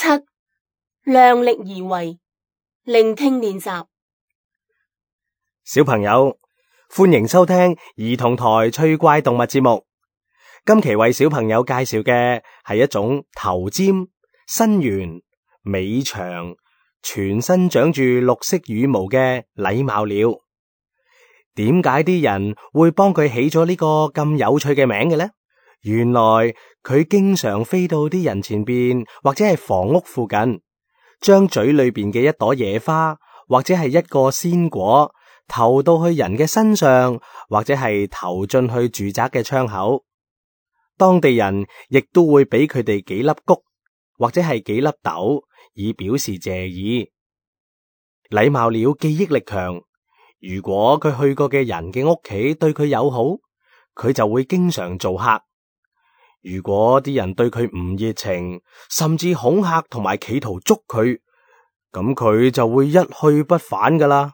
七、量力而為，聆聽練習。小朋友，歡迎收聽兒童台趣怪動物節目。今期為小朋友介紹嘅係一種頭尖、身圓、尾長、全身長住綠色羽毛嘅禮貌鳥。點解啲人會幫佢起咗呢個咁有趣嘅名嘅呢？原來佢經常飛到啲人前邊或者係房屋附近，將嘴裏邊嘅一朵野花或者係一個鮮果投到去人嘅身上，或者係投進去住宅嘅窗口。當地人亦都會俾佢哋幾粒穀或者係幾粒豆，以表示謝意。禮貌鳥記憶力強，如果佢去過嘅人嘅屋企對佢友好，佢就會經常做客。如果啲人對佢唔熱情，甚至恐嚇同埋企圖捉佢，咁佢就會一去不返噶啦。